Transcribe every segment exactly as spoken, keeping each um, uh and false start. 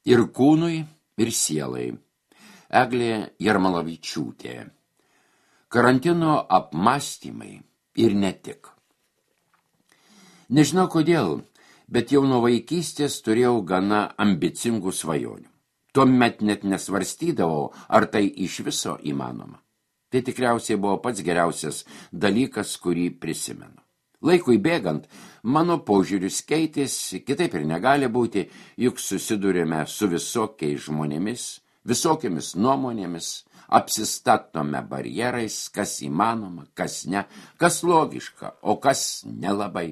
Ir kūnui, ir sielai. Eglė Jarmalavičiūtė. Karantino apmąstymai ir ne tik. Nežinau kodėl, bet jau nuo vaikystės turėjau gana ambicingų svajonių. Tuomet net nesvarstydavau, ar tai iš viso įmanoma. Tai tikriausiai buvo pats geriausias dalykas, kurį prisimenu. Laikui bėgant, mano požiūris keitėsi, kitaip ir negali būti, juk susidurėme su visokiais žmonėmis, visokiamis nuomonėmis, apsistatome barjerais, kas įmanoma, kas ne, kas logiška, o kas nelabai.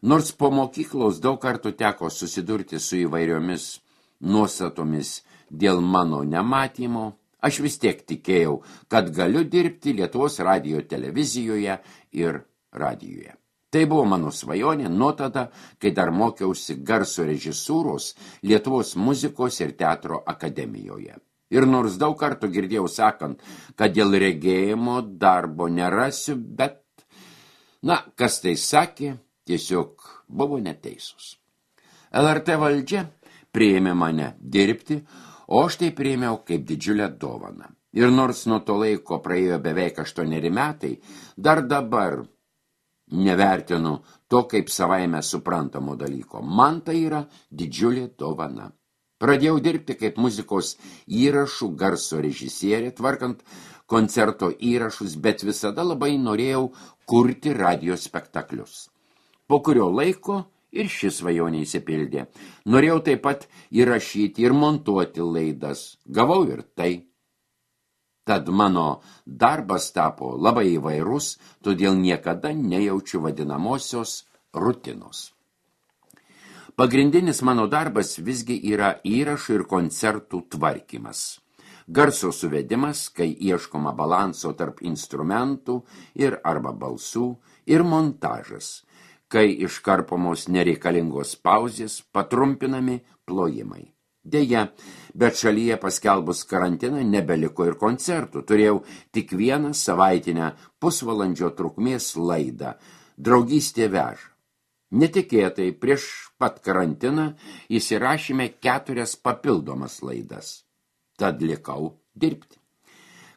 Nors po mokyklos daug kartų teko susidurti su įvairiomis nuostatomis dėl mano nematymo, aš vis tiek tikėjau, kad galiu dirbti Lietuvos radijo televizijoje ir radijuje. Tai buvo mano svajonė nuo tada, kai dar mokiausi garso režisūros Lietuvos muzikos ir teatro akademijoje. Ir nors daug kartų girdėjau sakant, kad dėl regėjimo darbo nerasiu, bet, na, kas tai sakė, tiesiog buvo neteisus. L R T valdžia priėmė mane dirbti, o aš tai priėmiau kaip didžiulę dovaną. Ir nors nuo to laiko praėjo beveik aštuoneri metai, dar dabar nevertinu to kaip savaime suprantamo dalyko. Man tai yra didžiulė dovana. Pradėjau dirbti kaip muzikos įrašų garso režisierė, tvarkant koncerto įrašus, bet visada labai norėjau kurti radijo spektaklius. Po kurio laiko ir šis svajonė įsipildė. Norėjau taip pat įrašyti ir montuoti laidas. Gavau ir tai. Tad mano darbas tapo labai įvairus, todėl niekada nejaučiu vadinamosios rutinos. Pagrindinis mano darbas visgi yra įrašų ir koncertų tvarkymas. Garso suvedimas, kai ieškoma balanso tarp instrumentų ir arba balsų, ir montažas, kai iškarpomos nereikalingos pauzės, patrumpinami plojimai. Deja, bet šalyje paskelbus karantiną nebeliko ir koncertų. Turėjau tik vieną savaitinę pusvalandžio trukmės laidą Draugystė veža. Netikėtai prieš pat karantiną įsirašėme keturias papildomas laidas. Tad likau dirbti.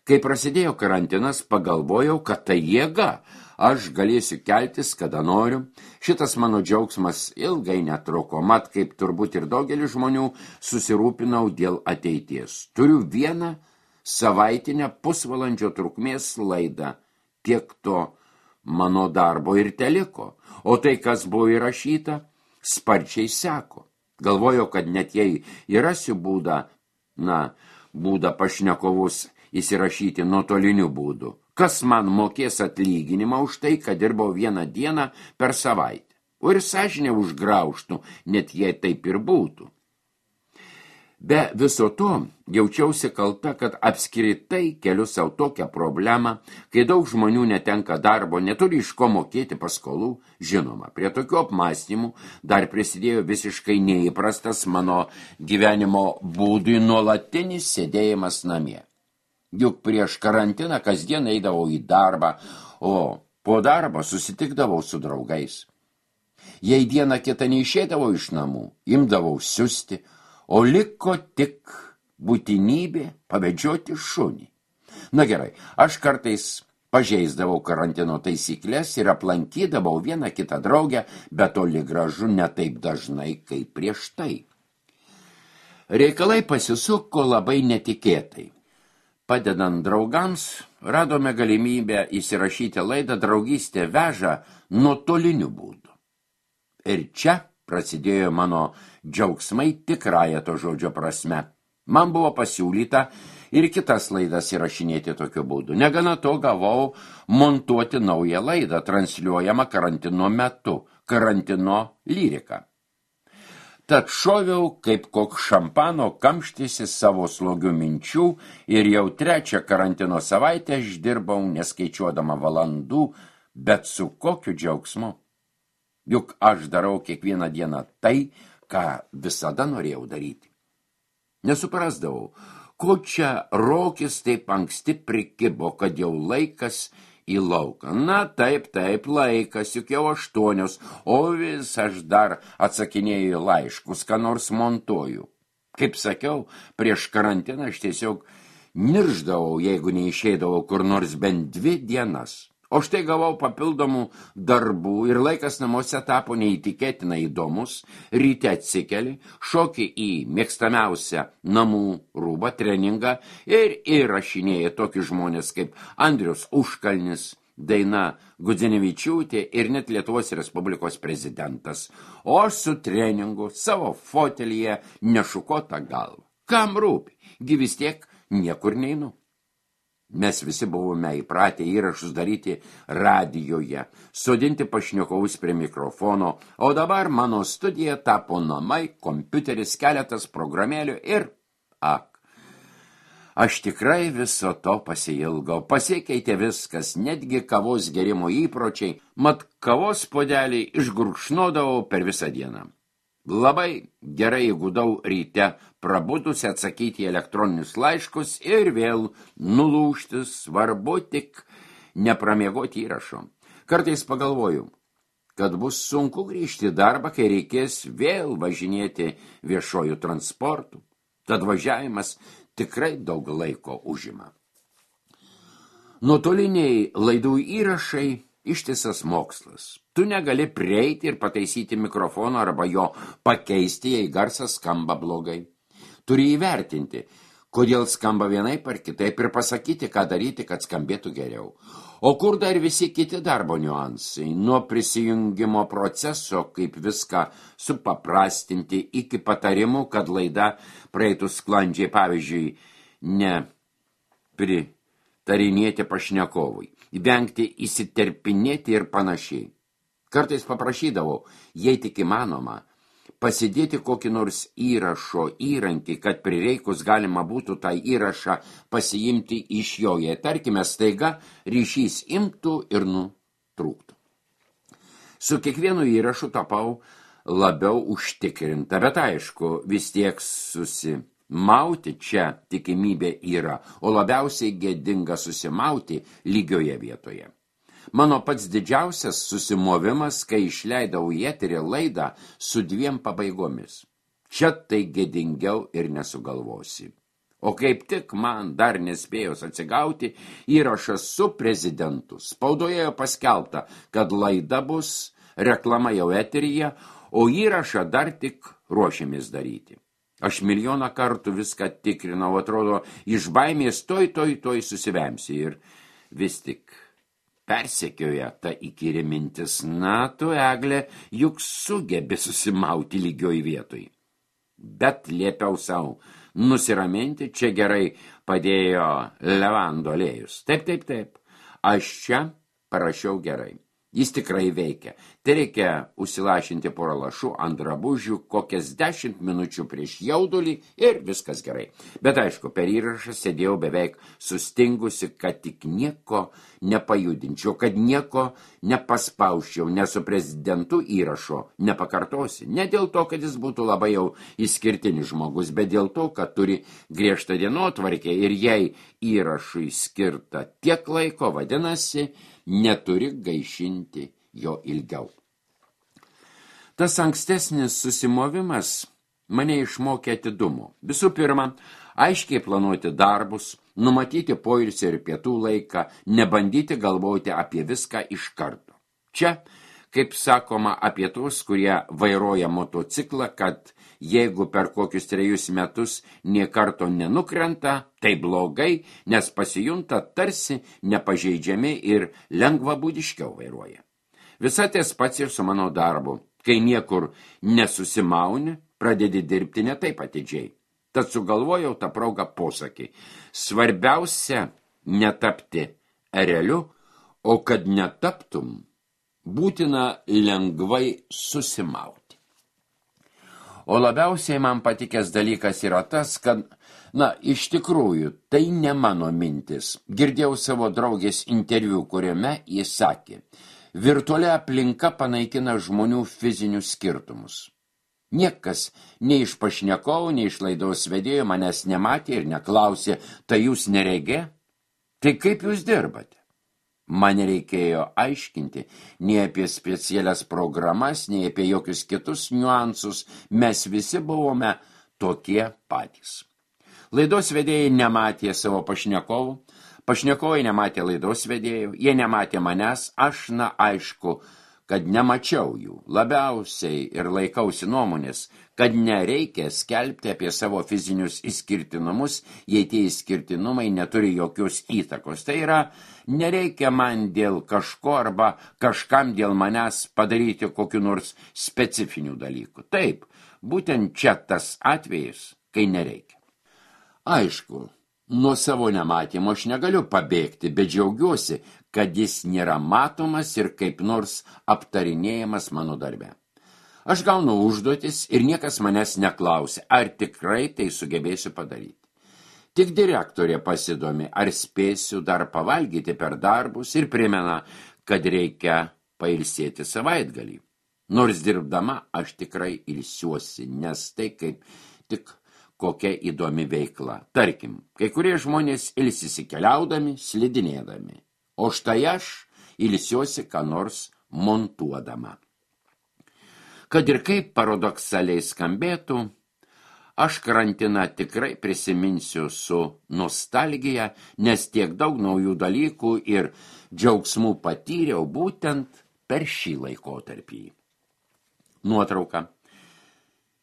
Kai prasidėjo karantinas, pagalvojau, kad tai jėga. Aš galėsiu keltis, kada noriu. Šitas mano džiaugsmas ilgai netruko, mat kaip turbūt ir daugelis žmonių susirūpinau dėl ateities. Turiu vieną savaitinę pusvalandžio trukmės laidą. Tiek to mano darbo ir teliko. O tai, kas buvo įrašyta, sparčiai seko. Galvojau, kad net jei įrasiu būdą, na, būdą pašnekovus įsirašyti nuotoliniu būdu. Kas man mokės atlyginimą už tai, kad dirbau vieną dieną per savaitę. O ir sąžinė užgraužtų, net jei taip ir būtų. Be viso to jaučiausi kalta, kad apskritai keliu savo tokią problemą, kai daug žmonių netenka darbo, neturi iš ko mokėti paskolų. Žinoma, prie tokių apmąstymų dar prisidėjo visiškai neįprastas mano gyvenimo būdui nuolatinis sėdėjimas namie. Juk prieš karantiną kasdien eidavau į darbą, o po darbo susitikdavau su draugais. Jei dieną kitą neišėdavau iš namų, imdavau siusti, o liko tik būtinybė pavedžioti šunį. Na gerai, aš kartais pažeisdavau karantino taisyklės ir aplankydavau vieną kitą draugę, bet toli gražu ne taip dažnai kaip prieš tai. Reikalai pasisuko labai netikėtai. Padedant draugams, radome galimybę įsirašyti laidą Draugystė veža nuotoliniu būdu. Ir čia prasidėjo mano džiaugsmai tikrąja to žodžio prasme. Man buvo pasiūlyta ir kitas laidas įrašinėti tokiu būdu. Negana to gavau montuoti naują laidą, transliuojamą karantino metu, karantino lyrika. Tad šoviau kaip koks šampano kamštysi savo slogių minčių ir jau trečią karantino savaitę aš dirbau neskaičiuodama valandų, bet su kokiu džiaugsmu. Juk aš darau kiekvieną dieną tai, ką visada norėjau daryti. Nesuprasdavau, ko čia Rokis taip anksti prikibo, kad jau laikas į lauką. Na, taip, taip, laikas, juk jau aštuonios, o vis aš dar atsakinėju laiškus, ką nors montuoju. Kaip sakiau, prieš karantiną aš tiesiog nirždavau, jeigu neišeidavau kur nors bent dvi dienas. O štai gavau papildomų darbų ir laikas namuose tapo neįtikėtinai įdomus. Ryte atsikeli, šoki į mėgstamiausią namų rūbą, treningą ir įrašinėji tokius žmonės kaip Andrius Užkalnis, Daina Gudzinevičiūtė ir net Lietuvos Respublikos prezidentas. O aš su treningu savo fotelyje nešukota galva. Kam rūpi? Gi vis tiek niekur neinu. Mes visi buvome įpratę įrašus daryti radijoje, sodinti pašnekovus prie mikrofono, o dabar mano studija tapo namai, kompiuteris, keletas programėlių ir, ak, aš tikrai viso to pasiilgau, pasikeitė viskas, netgi kavos gerimo įpročiai, mat kavos puodelį išgurkšnodavau per visą dieną. Labai gerai įgudau ryte prabudusi atsakyti elektroninius laiškus ir vėl nulūžti, svarbu tik nepramiegoti įrašo. Kartais pagalvoju, kad bus sunku grįžti į darbą, kai reikės vėl važinėti viešojų transportų. Tad važiavimas tikrai daug laiko užima. Nuotoliniai laidų įrašai ištisas mokslas. Tu negali prieiti ir pataisyti mikrofono arba jo pakeisti, jei garsas skamba blogai. Turi įvertinti, kodėl skamba vienaip ar kitaip ir pasakyti, ką daryti, kad skambėtų geriau. O kur dar visi kiti darbo niuansai, nuo prisijungimo proceso, kaip viską supaprastinti, iki patarimų, kad laida praeitų sklandžiai, pavyzdžiui, ne pritarinėti pašnekovui, vengti įsiterpinėti ir panašiai. Kartais paprašydavau, jei tik įmanoma, pasidėti kokį nors įrašo įrankį, kad prireikus galima būtų tą įrašą pasiimti iš jo, jei tarkime staiga ryšys imtų ir nutrūktų. Su kiekvienu įrašu tapau labiau užtikrinta, bet aišku, vis tiek susimauti čia tikimybė yra, o labiausiai gėdinga susimauti lygioje vietoje. Mano pats didžiausias susimovimas, kai išleidau į eterį laidą su dviem pabaigomis. Čia tai gėdingiau ir nesugalvosi. O kaip tik man dar nespėjus atsigauti, įrašas su prezidentu. Spaudoje paskelbta, kad laida bus, reklama jau eteryje, o įrašą dar tik ruošiamės daryti. Aš milijoną kartų viską tikrinau, atrodo, iš baimės toj, toj, toj susivemsi ir vis tik persekioja ta įkyri mintis, na, tu, Egle, juk sugebi susimauti lygioj vietoj. Bet liepiau savo nusiraminti, čia gerai padėjo levando aliejus. Taip, taip, taip, aš čia parašiau gerai. Jis tikrai veikia. Tai reikia užsilašinti porą lašų ant drabužių kokias dešimt minučių prieš jaudulį ir viskas gerai. Bet aišku, per įrašą sėdėjau beveik sustingusi, kad tik nieko nepajudinčiau, kad nieko nepaspausčiau, nes su prezidentu įrašo nepakartosi. Ne dėl to, kad jis būtų labai jau išskirtinis žmogus, bet dėl to, kad turi griežtą dienotvarkę ir jei įrašui skirta tiek laiko, vadinasi, neturi gaišinti jo ilgiau. Tas ankstesnis susimovimas mane išmokė atidumo. Visų pirma, aiškiai planuoti darbus, numatyti poilsį ir pietų laiką, nebandyti galvoti apie viską iš karto. Čia, kaip sakoma apie tuos, kurie vairuoja motociklą, kad jeigu per kokius trejus metus nė karto nenukrenta, tai blogai, nes pasijunta tarsi nepažeidžiami ir lengvabūdiškiau vairuoja. Visa ties pats ir su mano darbu. Kai niekur nesusimauni, pradedi dirbti ne taip atidžiai. Tad sugalvojau tą progą posakį. Svarbiausia netapti ereliu, o kad netaptum, būtina lengvai susimauti. O labiausiai man patikęs dalykas yra tas, kad, na, iš tikrųjų, tai ne mano mintis. Girdėjau savo draugės interviu, kuriame jis sakė, virtuali aplinka panaikina žmonių fizinius skirtumus. Niekas, nei iš pašnekovų, nei iš laidos vedėjo manęs nematė ir neklausė, tai jūs neregė? Tai kaip jūs dirbate? Man nereikėjo aiškinti nei apie specialias programas, nei apie jokius kitus niuansus. Mes visi buvome tokie patys. Laidos vedėjai nematė savo pašnekovų, pašnekovai nematė laidos vedėjų, jie nematė manęs, aš, na, aišku, kad nemačiau jų. Labiausiai ir laikausi nuomonės, kad nereikia skelbti apie savo fizinius išskirtinumus, jei tie išskirtinumai neturi jokios įtakos. Tai yra, nereikia man dėl kažko arba kažkam dėl manęs padaryti kokiu nors specifinių dalykų. Taip, būtent čia tas atvejis, kai nereikia. Aišku, nuo savo nematymo aš negaliu pabėgti, bet džiaugiuosi, kad jis nėra matomas ir kaip nors aptarinėjamas mano darbe. Aš gaunu užduotis ir niekas manęs neklausia, ar tikrai tai sugebėsiu padaryti. Tik direktorė pasidomi, ar spėsiu dar pavalgyti per darbus ir primena, kad reikia pailsėti savaitgalį. Nors dirbdama aš tikrai ilsiuosi, nes tai kaip tik kokia įdomi veikla. Tarkim, kai kurie žmonės ilsisi keliaudami, slidinėdami, o štai aš ilsiuosi ką nors montuodama. Kad ir kaip paradoksaliai skambėtų, aš karantiną tikrai prisiminsiu su nostalgija, nes tiek daug naujų dalykų ir džiaugsmų patyriau būtent per šį laikotarpį. Nuotrauka.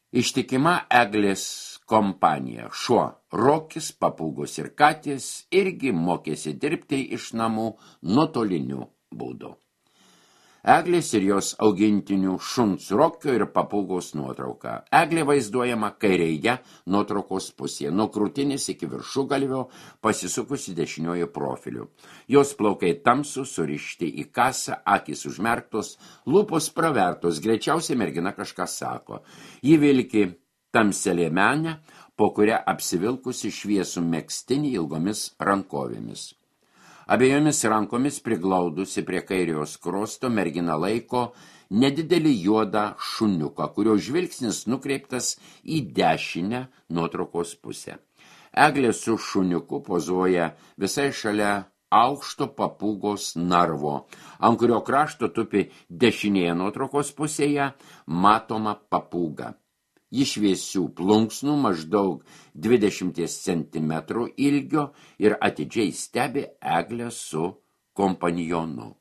Ištikima Eglės kompanija. Šuo Rokis, papūgos ir katės irgi mokėsi dirbti iš namų nuotoliniu būdu. Eglės ir jos augintinių šuns Rokio ir papūgos nuotrauka. Eglė vaizduojama kairėje nuotraukos pusėje, nuo krūtinės iki viršugalvio pasisukusi dešiniojo profiliu. Jos plaukai tamsūs, surišti į kasą, akys užmerktos, lūpos pravertos, greičiausiai mergina kažką sako. Ji vilki tamsią liemenę, po kurią apsivilkusi šviesų megztinį ilgomis rankovėmis. Abiejomis rankomis priglaudusi prie kairiojo skruosto mergina laiko nedidelį juodą šuniuką, kurio žvilgsnis nukreiptas į dešinę nuotraukos pusę. Eglė su šuniuku pozuoja visai šalia aukšto papūgos narvo, ant kurio krašto tupi dešinėje nuotraukos pusėje matoma papūga. Ji šviesių plunksnų maždaug dvidešimt centimetrų ilgio ir atidžiai stebi Eglę su kompanjonu.